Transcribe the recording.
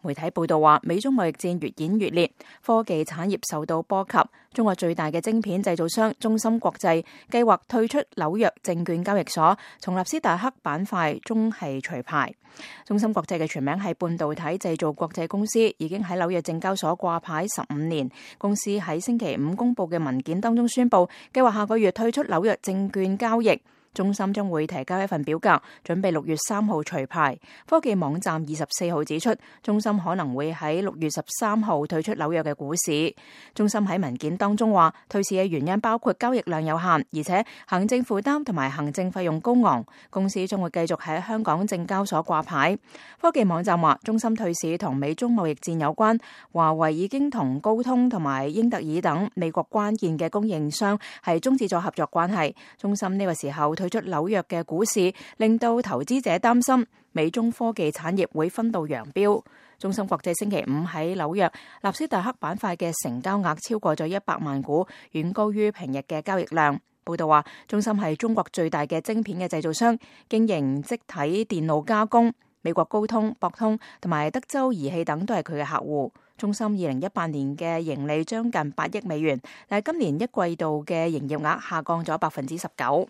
媒體報道話，美中貿易戰越演越烈，科技產業受到波及。中國最大嘅晶片製造商中芯國際計劃退出紐約證券交易所，從納斯達克板塊中係除牌。中芯國際嘅全名係半導體製造國際公司，已經喺紐約證交所掛牌15年。公司喺星期五公佈嘅文件當中宣布，計劃下個月退出紐約證券交易。中芯將會提交一份表格，準備6月3號除牌。科技網站24號指出，中芯可能會喺6月13號退出紐約嘅股市。中芯喺文件當中話，退市嘅原因包括交易量有限，而且行政負擔同埋行政費用高昂。公司將會繼續喺香港證交所掛牌。科技網站話，中芯退市同美中貿易戰有關。華為已經同高通同埋英特爾等美國關鍵嘅供應商係終止咗合作關係。中芯呢個時候退出紐約嘅股市，令到投資者擔心美中科技產業會分道揚鑣。中芯國際星期五喺紐約納斯達克板塊嘅成交額超過咗100萬股，遠高於平日嘅交易量。報道話，中芯係中國最大嘅晶片嘅製造商，經營積體電路加工。美國高通、博通同埋德州儀器等都係佢嘅客戶。中芯2018年嘅盈利將近8億美元，但係今年一季度嘅營業額下降咗19%。